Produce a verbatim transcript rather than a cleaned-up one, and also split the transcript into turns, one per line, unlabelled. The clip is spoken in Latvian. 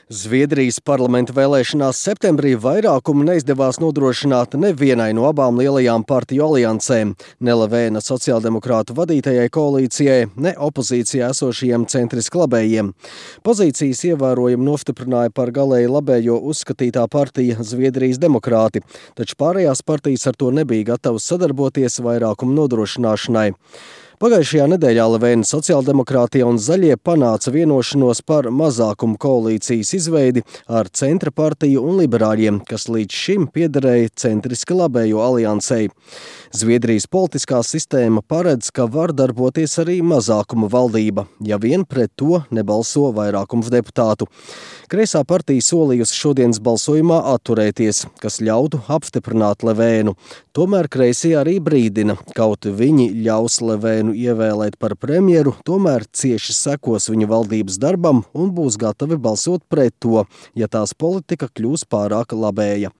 Zviedrijas parlamenta vēlēšanās septembrī vairākumu neizdevās nodrošināt nevienai no abām lielajām partiju aliansēm, ne Löfvena sociāldemokrātu vadītajai koalīcijai, ne opozīcijā esošajiem centriski labējiem. Pozīcijas ievērojami nostiprināja par galēji labējo uzskatītā partija Zviedrijas demokrāti, taču pārējās partijas ar to nebija gatavas sadarboties vairākumu nodrošināšanai. Pagājušajā nedēļā Löfvena sociāldemokrātija un zaļie panāca vienošanos par mazākumu koalīcijas izveidi ar centra partiju un liberāļiem, kas līdz šim piederēja centriski labējo aliansei. Zviedrijas politiskā sistēma paredz, ka var darboties arī mazākuma valdība, ja vien pret to nebalso vairākums deputātu. Kreisā partija solījusi šodienas balsojumā atturēties, kas ļautu apstiprināt Löfvenu. Tomēr kreisie arī brīdina, kaut viņi ļaus Löfvenu ievēlēt par premjeru, tomēr cieši sekos viņa valdības darbam un būs gatavi balsot pret to, ja tās politika kļūs pārāk labēja.